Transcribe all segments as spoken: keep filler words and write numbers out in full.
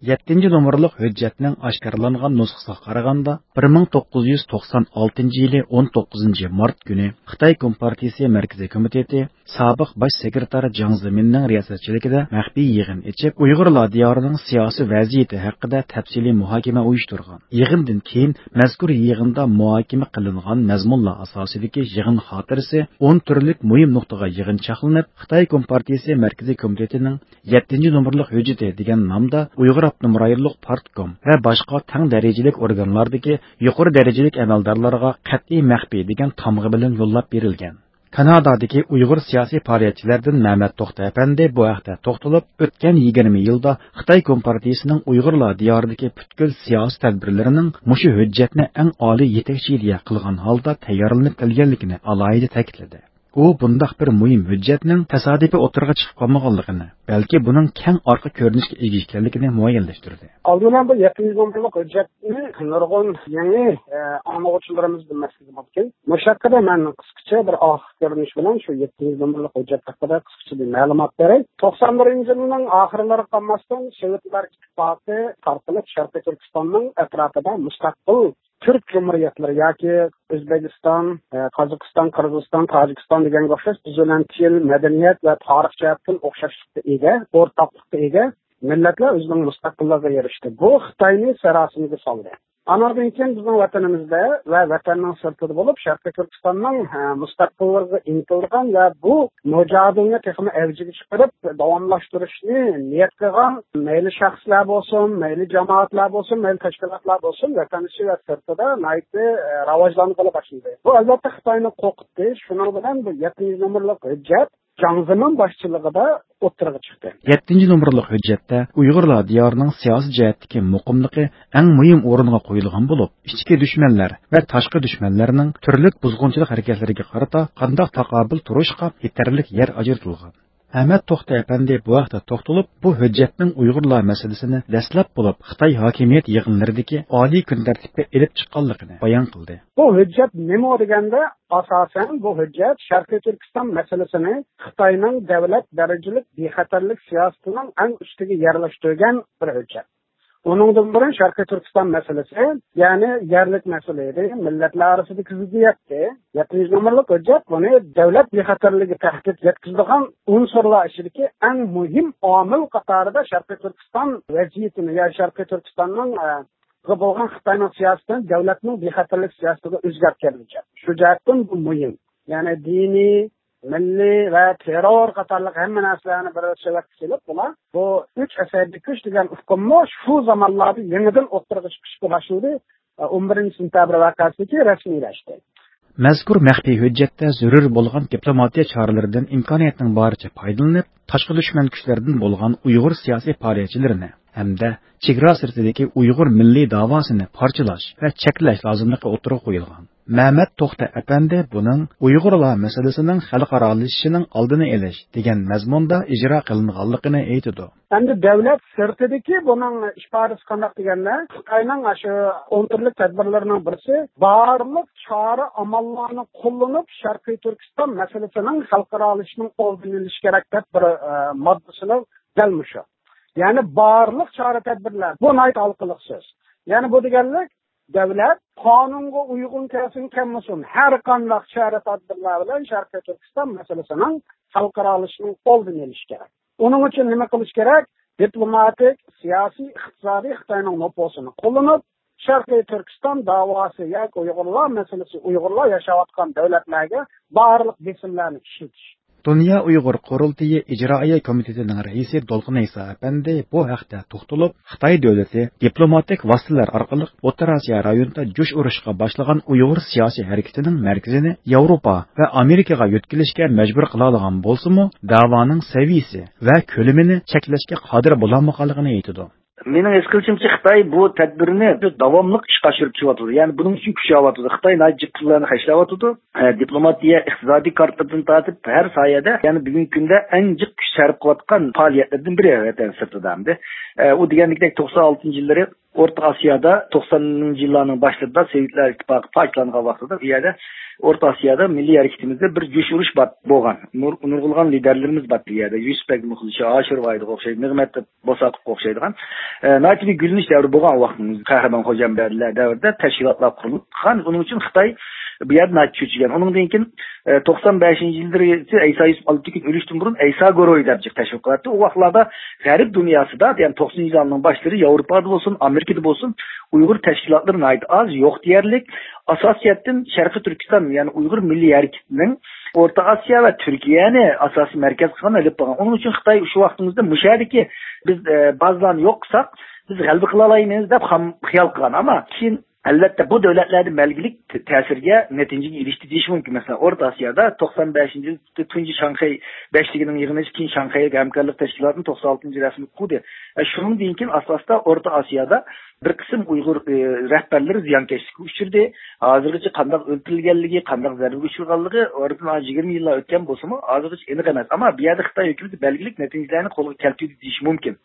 يەتتىنچى نومۇرلۇق ھۆججەتنىڭ ئاشكارىلانغان نۇسخىسىغا قارىغاندا، بىر مىڭ توققۇز يۈز توقسان ئالتىنچى يىلى ئون توققۇزىنچى مارت كۈنى خىتاي كومپارتىيىسى مەركىزىي كومىتېتى سابىق باش سېكرېتارى جاڭ زېمىننىڭ رىياسەتچىلىكىدە مەخپىي يىغىن ئېچىپ، ئۇيغۇرلار دىيارىنىڭ سىياسىي ۋەزىيىتى ھەققىدە تەپسىلىي مۇھاكىمە ئۇيۇشتۇرغان. يىغىندىن كېيىن مەزكۇر يىغىندا مۇھاكىمە قىلىنغان مەزمۇنلار ئاساسىدىكى يىغىن خاتىرىسى ئون تۈرلۈك مۇھىم نۇقتىغا يىغىنچاقلىنىپ، خىتاي كومپارتىيىسى مەركىزىي كومىتېتىنىڭ يەتتىنچى نومۇرلۇق ھۆججىتى دېگەن نامدا ئۇيغۇر ئاپتونوم رايونلۇق پارتكوم ۋە باشقا تەڭ دەرىجىلىك ئورگانلاردىكى يۇقىرى دەرىجىلىك ئەمەلدارلارغا قەتئىي مەخپىي دېگەن تامغا بىلەن يوللاپ بېرىلگەن. كانادادىكى ئۇيغۇر سىياسىي پائالىيەتچىلەردىن مەمەت توختى ئەپەندى بۇ ھەقتە توختىلىپ، ئۆتكەن يىگىرمە يىلدا خىتاي كومپارتىيىسىنىڭ ئۇيغۇرلار دىيارىدىكى پۈتكۈل سىياسىي تەدبىرلىرىنىڭ مۇشۇ ھۆججەتنى ئەڭ ئالىي يېتەكچى ئىدىيە قىلغان ھالدا تەييارلىنىپ كەلگەنلىكىنى ئالاھىدە تەكىتلىدى. ئۇ بۇنداق بىر مۇھىم ھۆججەتنىڭ تاسادىپىي ئوتتۇرىغا چىقىپ قالمىغانلىقىنى، بەلكى بۇنىڭ كەڭ ئارقا كۆرۈنۈشكە ئىگە ئىكەنلىكىنى مۇئەييەنلەشتۈردى. ئالدى بىلەن بۇ يەتتىنچى نومۇرلۇق ھۆججەتنى نۇرغۇن يېڭى، ئە، ئاڭلىغۇچىلىرىمىز بىلمەسلىكى مۇمكىن. مۇشۇ ھەققىدە مەن قىسقىچە بىر ئارقا كۆرۈنۈش بىلەن شۇ يەتتىنچى نومۇرلۇق ھۆججەت ھەققىدە قىسقىچە بىر مەلۇمات بېرەي. توقسان بىرىنچى يىلنىڭ ئاخىرلىرىغا قارىماستىن، سوۋېتلار ئىتتىپاقى تارقىلىپ، شەرقىي تۈركىستاننىڭ ئەتراپىدا مۇستەقىل تۈرك جۇمھۇرىيەتلىرى ياكى ئۆزبېكىستان، ئە، قازاقىستان، قىرغىزىستان، تاجىكىستان دېگەنگە ئوخشاش بىز بىلەن تىل، مەدەنىيەت ۋە تارىخ جەھەتتىن ئوخشاشلىققا ئىگە، ئورتاقلىققا ئىگە مىللەتلەر ئۆزىنىڭ مۇستەقىللىقىغا ئېرىشتى. بۇ خىتاينى ساراسىمىگە سالدى. ئاناندىن كېيىن بىزنىڭ ۋەتىنىمىزدە ۋە ۋەتەننىڭ سىرتىدا بولۇپ، شەرقىي تۈركىستاننىڭ، ئە، مۇستەقىللىقىغا ئىنتىلىدىغان ۋە بۇ مۇجادىلىنى تېخىمۇ ئەۋجىگە چىقىرىپ، داۋاملاشتۇرۇشنى نىيەت قىلغان مەيلى شەخسلەر بولسۇن، مەيلى جامائەتلەر بولسۇن، مەيلى تەشكىلاتلار بولسۇن، ۋەتەن ئىچى ۋە سىرتىدا ناھايىتى، ئە، راۋاجلانغىلى باشلىدى. بۇ، ئەلۋەتتە، خىتاينى قورقۇتتى. شۇنىڭ بىلەن بۇ يەتتىنچى نومۇرلۇق ھۆججەت جاڭ زېمىن باشچىلىقىدا ئوتتۇرىغا چىقتى. يەتتىنچى نومۇرلۇق ھۆججەتتە ئۇيغۇرلار دىيارىنىڭ سىياسىي جەھەتتىكى مۇقىملىقى ئەڭ مۇھىم ئورۇنغا قويۇلغان بولۇپ، ئىچكى دۈشمەنلەر ۋە تاشقى دۈشمەنلەرنىڭ تۈرلۈك بۇزغۇنچىلىق ھەرىكەتلىرىگە قارىتا قانداق تاقابىل تۇرۇشقا يېتەرلىك يەر ئاجرىتىلغان. ئەمەت توختى ئەپەندى بۇ ھەقتە توختىلىپ، بۇ ھۆججەتنىڭ ئۇيغۇرلار مەسىلىسىنى دەسلەپ بولۇپ خىتاي ھاكىمىيەت يىغىنلىرىدىكى ئالىي كۈن تەرتىپكە ئېلىپ چىققانلىقىنى بايان قىلدى. بۇ ھۆججەت نېمە دېگەندە، ئاساسەن بۇ ھۆججەت شەرقىي تۈركىستان مەسىلىسىنى خىتاينىڭ دۆلەت دەرىجىلىك بىخەتەرلىك سىياسىتىنىڭ ئەڭ ئۈستىگە يەرلەشتۈرگەن بىر ھۆججەت. ئۇنىڭدىن بۇرۇن شەرقىي تۈركىستان مەسىلىسى، يەنى يەرلىك مەسىلە ئىدى، مىللەتلەر ئارىسىدىكى زىددىيەتتى. يەتتىنچى نومۇرلۇق ھۆججەت بۇنى دۆلەت بىخەتەرلىكىگە تەھدىت يەتكۈزىدىغان ئۇنسۇرلار ئىچىدىكى ئەڭ مۇھىم ئامىل قاتارىدا شەرقىي تۈركىستان ۋەزىيىتىنى، يا شەرقىي تۈركىستاننىڭ، ئە، بولغان خىتاينىڭ سىياسىتىنى دۆلەتنىڭ بىخەتەرلىك سىياسىتىگە ئۆزگەرتكەن ھۆججەت. شۇ جەھەتتىن بۇ مۇھىم. يەنى دىنىي، مىللىي ۋە تېررور قاتارلىق ھەممە نەرسىلەرنى بىر سۆۋەتكە سېلىپ، بۇلار بۇ ئۈچ ئەسەبىي كۈچ دېگەن ئۇقۇممۇ شۇ زامانلاردا يېڭىدىن ئوتتۇرىغا چىقىشقا باشلىدى. ئون بىرىنچى سېنتەبىر ۋەقەسىدىكى رەسمىيلەشتى. مەزكۇر مەخپىي ھۆججەتتە زۆرۈر بولغان دىپلوماتىيە چارىلىرىدىن ئىمكانىيەتنىڭ بارىچە پايدىلىنىپ، تاشقى دۈشمەن كۈچلەردىن بولغان ئۇيغۇر سىياسىي پائالىيەتچىلىرىنى ھەمدە چېگرا سىرتىدىكى ئۇيغۇر مىللىي داۋاسىنى پارچىلاش ۋە چەكلەش لازىملىقى ئوتتۇرىغا قويۇلغان. مەمەت توختى ئەپەندى بۇنىڭ ئۇيغۇرلار مەسىلىسىنىڭ خەلقئارالىشىشىنىڭ ئالدىنى ئېلىش دېگەن مەزمۇندا ئىجرا قىلىنغانلىقىنى ئېيتىدۇ. ئەمدى دۆلەت سىرتىدىكى بۇنىڭ ئىپادىسى قانداق دېگەندە، خىتاينىڭ شۇ ئون تۈرلۈك تەدبىرلىرىنىڭ بىرسى، بارلىق چارە ئاماللارنى قوللىنىپ، شەرقىي تۈركىستان مەسىلىسىنىڭ خەلقئارالىشىشنىڭ ئالدىنى ئېلىش كېرەك دەپ بىر، ئە، ماددىسىنى دەل مۇشۇ. يەنى بارلىق چارە تەدبىرلەر. بۇ ناھايىتى ھالقىلىق سۆز. يەنى بۇ دېگەنلىك، دۆلەت قانۇنغا ئۇيغۇن كەلسۇن كەلمىسۇن، ھەر قانداق چارە تەدبىرلەر بىلەن شەرقىي تۈركىستان مەسىلىسىنىڭ خەلقئارالىشىشنىڭ ئالدىنى ئېلىش كېرەك. ئۇنىڭ ئۈچۈن نېمە قىلىش كېرەك؟ دىپلوماتىك، سىياسىي، ئىقتىسادىي خىتاينىڭ نوپۇزىنى قوللىنىپ، شەرقىي تۈركىستان داۋاسى ياكى ئۇيغۇرلار مەسىلىسى، ئۇيغۇرلار ياشاۋاتقان دۆلەتلەرگە بارلىق بېسىملارنى ئىشلىتىش. دۇنيا ئۇيغۇر قۇرۇلتىيى ئىجرائىيە كومىتېتىنىڭ رەئىسى دولقۇن ئەيسا ئەپەندى بۇ ھەقتە توختىلىپ، خىتاي دۆلىتى دىپلوماتىك ۋاسىتىلەر ئارقىلىق ئوتتۇرا ئاسىيا رايونىدا جۇش ئۇرۇشقا باشلىغان ئۇيغۇر سىياسىي ھەرىكىتىنىڭ مەركىزىنى ياۋروپا ۋە ئامېرىكىغا يۆتكىلىشكە مەجبۇر قىلالىغان بولسىمۇ، داۋانىڭ سەۋىيىسى ۋە كۆلىمىنى چەكلەشكە قادىر بولالمىغانلىقىنى ئېيتىدۇ. مېنىڭ ھېس قىلىشىمچە، خىتاي بۇ تەدبىرنى داۋاملىق ئىشقا ئاشۇرۇپ كېلىۋاتىدۇ. يەنى بۇنىڭ ئۈچۈن كۈچەۋاتىدۇ. خىتاي ناھايىتى جىق پۇللارنى خەجلەۋاتىدۇ. ئە، دىپلوماتىيە، ئىقتىسادىي كارتىدىن تارتىپ ھەر ساھەدە، يەنى بۈگۈنكى كۈندە ئەڭ جىق كۈچ سەرپ قىلىۋاتقان پائالىيەتلەردىن بىرى ۋەتەن سىرتىدا ئەمدى. ئە، ئۇ دېگەندەك توقسان ئالتىنچى يىللىرى ئورتا ئاسىيادا توقسانىنچى يىللارنىڭ باشلىرىدا سوۋېتلار ئىتتىپاقى پاكىتلانغان ۋاقتىدا بۇ يەردە ئورتا ئاسىيادا مىللىي ھەرىكىتىمىزدە بىر جۇش ئۇرۇش بار بولغان. نۇر-، نۇرغۇنلىغان لىدەرلىرىمىز بار بۇ يەردە. يۈسۈپ بەگ مۇخلىشى، ھاشىر ۋاھىدقا ئوخشايدۇ، نىغمەت بوساققا ئوخشايدىغان، ئە، ناھايىتى بىر گۈللىنىش دەۋرى بولغان ۋاقتىمىز. قەھرىمان خوجامبەردىلەر دەۋرىدە تەشكىلاتلار قۇرۇلۇپ چىققان. ئۇنىڭ ئۈچۈن خىتاي بۇ يەردە ناھايىتى چۆچۈگەن. ئۇنىڭدىن كېيىن، ئە، توقسان بەشىنچى يىللىرى ئەيسا يۈسۈپ ئالتە تۈكۈن ئۆلۈشتىن بۇرۇن ئەيسا گۇرۇھى دەپ جىق تەشۋىق قىلاتتى. ئۇ ۋاقىتلاردا غەرب دۇنياسىدا، يەنى توقسىنىنچى يىللارنىڭ باشلىرى ياۋروپادا بولسۇن، ئامېرىكىدا بولسۇن، ئۇيغۇر تەشكىلاتلىرى ناھايىتى ئاز، يوق دېيەرلىك. ئاساسىيەتتىن شەرقىي تۈركىستان، يەنى ئۇيغۇر مىللىي ھەرىكىتىنىڭ ئورتا ئاسىيا ۋە تۈركىيەنى ئاساسىي مەركەز قىلغان ئېلىپ بارغان. ئۇنىڭ ئۈچۈن خىتاي شۇ ۋاقتىمىزدا مۇشۇ يەردىكى بىز، ئە، بازىلارنى يوق قىلساق، بىز غەلىبە قىلالايمىز دەپ خام خىيال قىلغان. ئەمما كېيىن، ئەلۋەتتە، بۇ دۆلەتلەردە بەلگىلىك ت-، تەسىرگە، نەتىجىگە ئېرىشتى دېيىش مۇمكىن. مەسىلەن، ئورتا ئاسىيادا توقسان بەشىنچى يىل تۇنجى شاڭخەي بەشلىكىنىڭ يىغىلىشى، كېيىن شاڭخەي ھەمكارلىق تەشكىلاتىنى توقسان ئالتىنچى رەسمىي قۇردى. ئە، شۇنىڭدىن كېيىن ئاستا-ئاستا ئورتا ئاسىيادا بىر قىسىم ئۇيغۇر، ئى، رەھبەرلىرى زىيانكەشلىككە ئۇچرىدى. ھازىرغىچە قانداق ئۆلتۈرۈلگەنلىكى، قانداق زەربىگە ئۇچرىغانلىقى ئارىدىن ھازىر يىگىرمە يىللار ئۆتكەن بولسىمۇ، ھازىرغىچە ئېنىق ئەمەس. ئەمما بۇ يەردە خىتاي ھۆكۈمىتى بەلگىلىك نەتىجىلەرنى قولغا كەلتۈردى دېيىش مۇمكىن.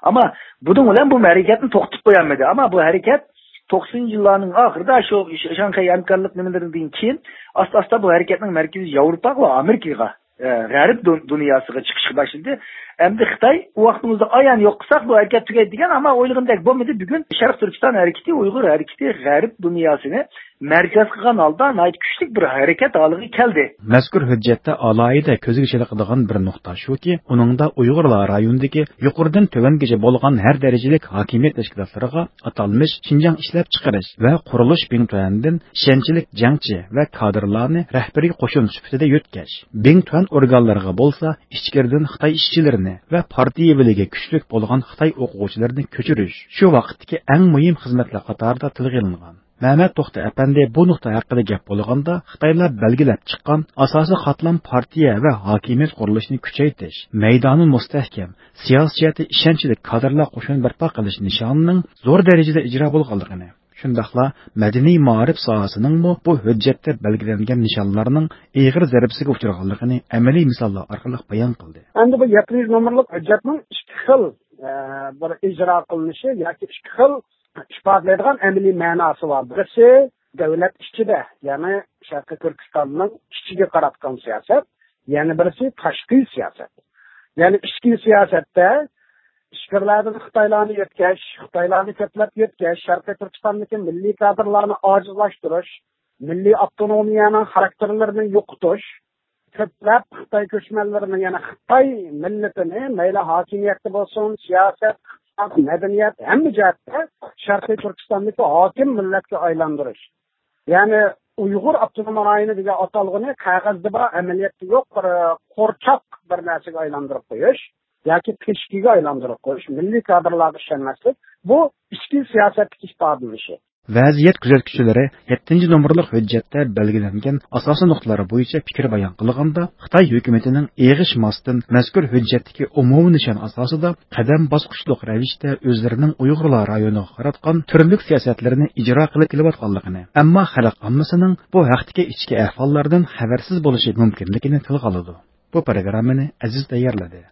ئەمما بۇنىڭ بىلەن بۇ ھەرىكەتنى توختىتىپ قويالمىدى. ئەمما بۇ ھەرىكەت توقسىنىنچى يىللارنىڭ ئاخىرىدا شۇ شاڭخەي ھەمكارلىق نېمىلىرىدىن كېيىن ئاستا-ئاستا بۇ ھەرىكەتنىڭ مەركىزى ياۋروپاغا ۋە ئامېرىكىغا، ئە، غەرب دۇ-، دۇنياسىغا چىقىشقا باشلىدى. ئەمدى خىتاي ئۇ ۋاقتىمىزدا ئايان يوق قىلساق، بۇ ھەرىكەت تۈگەيدۇ دېگەن، ئەمما ئويلىغىنىدەك بولمىدى. بۈگۈن شەرقىي تۈركىستان ھەرىكىتى، ئۇيغۇر ھەرىكىتى غەرب دۇنياسىنى مەركەز قىلغان ھالدا ناھايىتى كۈچلۈك بىر ھەرىكەت ھالىغا كەلدى. مەزكۇر ھۆججەتتە ئالاھىدە كۆزگە چېلىقىدىغان بىر نۇقتا شۇكى، ئۇنىڭدا ئۇيغۇرلار رايونىدىكى يۇقىرىدىن تۆۋەنگىچە بولغان ھەر دەرىجىلىك ھاكىمىيەت تەشكىلاتلىرىغا ئاتالمىش شىنجاڭ ئىشلەپچىقىرىش ۋە قۇرۇلۇش بىڭتۈەندىن ئىشەنچلىك جەڭچى ۋە كادىرلارنى رەھبىرىي قوشۇن سۈپىتىدە يۆتكەش، بىڭتۈەن ئورگانلىرىغا بولسا ئىچكىرىدىن خىتاي ئىشچىلىرىنى ۋە پارتىيە بىلىگى كۈچلۈك بولغان خىتاي ئوقۇغۇچىلىرىنى كۆچۈرۈش شۇ ۋاقىتتىكى ئەڭ مۇھىم خىزمەتلەر قاتارىدا تىلغا ئېلىنغان. مەمەت توختى ئەپەندى بۇ نۇقتا ھەققىدە گەپ بولغاندا، خىتايلار بەلگىلەپ چىققان ئاساسىي قاتلام پارتىيە ۋە ھاكىمىيەت قۇرۇلۇشىنى كۈچەيتىش، مەيدانى مۇستەھكەم، سىياسىي جەھەتتە ئىشەنچلىك كادىرلار قوشۇنى بەرپا قىلىش نىشانىنىڭ زور دەرىجىدە ئىجرا بولغانلىقىنى، شۇنداقلا مەدەنىي مائارىپ ساھەسىنىڭمۇ بۇ ھۆججەتتە بەلگىلەنگەن نىشانلارنىڭ ئېغىر زەربىسىگە ئۇچرىغانلىقىنى ئەمەلىي مىساللار ئارقىلىق بايان قىلدى. ئەمدى بۇ يەتتە يۈز نومۇرلۇق ھۆججەتنىڭ ئىككى خىل، ئە، بىر ئىجرا قىلىنىشى ياكى ئىككى خىل ئىپادىلەيدىغان ئەمەلىي مەناسى بار. بىرسى دۆلەت ئىچىدە، يەنى شەرقىي تۈركىستاننىڭ ئىچىگە قاراتقان سىياسەت، يەنە بىرسى تاشقى سىياسەت. يەنى ئىچكى سىياسەتتە ئىچكىرىلەردىن خىتايلارنى يۆتكەش، خىتايلارنى كۆپلەپ يۆتكەش، شەرقىي تۈركىستاندىكى مىللىي كادىرلارنى ئاجىزلاشتۇرۇش، مىللىي ئاپتونومىيەنىڭ خاراكتېرلىرىنى يوقىتىش، كۆپلەپ خىتاي كۆچمەنلىرىنى، يەنى خىتاي مىللىتىنى مەيلى ھاكىمىيەتتە بولسۇن، سىياسەت، ئىقتىساد، مەدەنىيەت، ھەممە جەھەتتە شەرقىي تۈركىستاندىكى ھاكىم مىللەتكە ئايلاندۇرۇش. يەنى ئۇيغۇر ئاپتونوم رايونى دېگەن ئاتالغۇنى قەغەزدە بار، ئەمەلىيەتتە يوق، بىر قورچاق بىر نەرسىگە ئايلاندۇرۇپ قويۇش ياكى پىشكىگە ئايلاندۇرۇپ قويۇش، مىللىي كادىرلارغا ئىشەنمەسلىك، بۇ ئىچكى سىياسەتتىكى ئىپادىلىنىشى. ۋەزىيەت كۆزەتكۈچىلىرى يەتتىنچى نومۇرلۇق ھۆججەتتە بەلگىلەنگەن ئاساسىي نۇقتىلار بويىچە پىكىر بايان قىلغاندا، خىتاي ھۆكۈمىتىنىڭ ئېغىشماستىن مەزكۇر ھۆججەتتىكى ئومۇمىي نىشان ئاساسىدا قەدەم باسقۇچلۇق رەۋىشتە ئۆزلىرىنىڭ ئۇيغۇرلار رايونىغا قاراتقان تۈرلۈك سىياسەتلىرىنى ئىجرا قىلىپ كېلىۋاتقانلىقىنى، ئەمما خەلق ئاممىسىنىڭ بۇ ھەقتىكى ئىچكى ئەھۋاللاردىن خەۋەرسىز بولۇشى مۇمكىنلىكىنى تىلغا ئالىدۇ. بۇ پروگراممىنى ئەزىز تەييارلىدى.